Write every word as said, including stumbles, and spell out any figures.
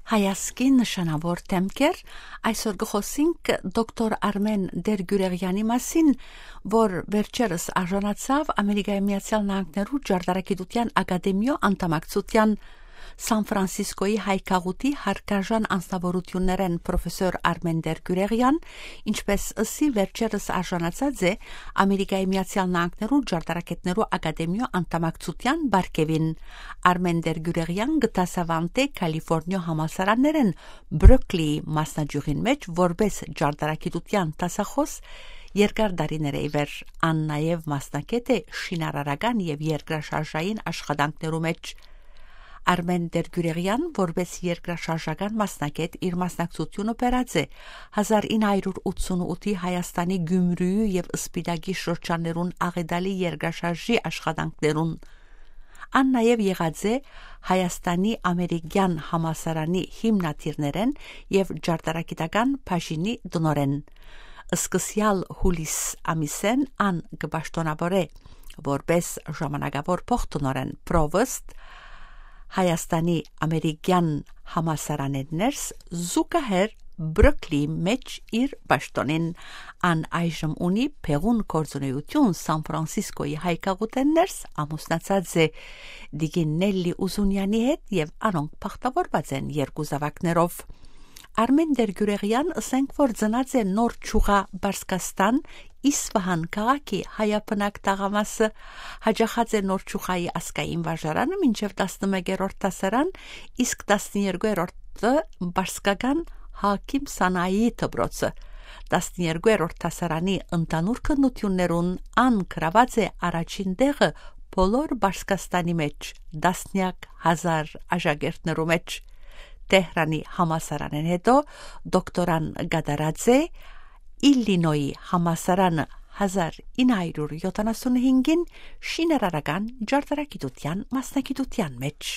Հայազգի նշանաւոր դէմքեր։ Այսօր կը խօսինք դոկտոր Արմէն Տերկիւրեղեանի մասին, որ վերջերս արժանացաւ Ամերիկայի Միացեալ Նահանգներու Ճարտարագիտութեան Ակադեմիոյ անդամակցութեան։ Սան Ֆրանսիսկոյի հայ գաղութի հարգարժան անձնաւորութիւններէն պրոֆեսոր Արմէն Տերկիւրեղեան, ինչպէս ըսի, վերջերս արժանացած է Ամերիկայի Միացեալ Նահանգներու Ճարտարագետներու Ակադեմիոյ անդամակցութեան պարգեւին։ Արմէն Տերկիւրեղեան կը դասաւանդէ Քալիֆոռնիոյ համալսարաններէն Բրոկլիի մասնաճիւղին մէջ որպէս ճարտարագիտութեան դասախօս երկար տարիներէ ի վեր։ Ան նաեւ մասնագէտ է շինարարական եւ երկրաշարժային աշխատանքներու մէջ։ Արմէն Տերկիւրեղեան, որպէս երկրաշարժական մասնագէտ, իր մասնակցութիւնը բերած է հազար ինը հարիւր ութսունութի Հայաստանի Գիւմրիի եւ Սպիտակի շրջաններուն աղետալի երկրաշարժի աշխատանքներուն։ Ան նաեւ եղած է Հայաստանի Ամերիկեան համալսարանի հիմնադիրներէն եւ ճարտարագիտական բաժինի տնօրէն։ Սկսեալ յուլիս ամիսէն ան կը պաշտօնաւորէ որպէս ժամանակաւոր փոխտնօրէն պրովստ Հայաստանի Ամերիկեան համալսարանէն ներս, զուգահեռ Բրոկլիի մէջ իր պաշտօնին։ Ան այժմ ունի բեղուն գործունեութիւն Սան Ֆրանսիսկոյի հայ գաղութէն ներս, ամուսնացած է տիկին Նելլի Ուզունեանի հետ եւ անոնք բախտաւորուած են երկու զաւակներով։ Արմէն Տերկիւրեղեան, ըսենք որ ծնած է Նոր Չուղա Պարսկաստան, Իսվահան քաղաքի հայաբնակ թաղամասը, յաճախած է Նոր Չուղայի ազգային վարժարանը մինչեւ տասնմեկերորդ դասարան, իսկ տասներկուերորդը Պարսկական Հակիմ Սանայի դպրոցը։ Տասներկուերորդ դասարանի ընդհանուր քննութիւններուն ան գրաւած է առաջին տեղը բոլոր Պարսկաստանի մէջ, տասնեակ հազար աշակերտներու մէջ։ Թեհրանի համալսարանէն յետոյ դոկտորան կատարած է Իլլինոյի համալսարանը հազար ինը հարիւր յոթանասունհինգին շինարարական ճարտարագիտութեան մասնագիտութեան մէջ։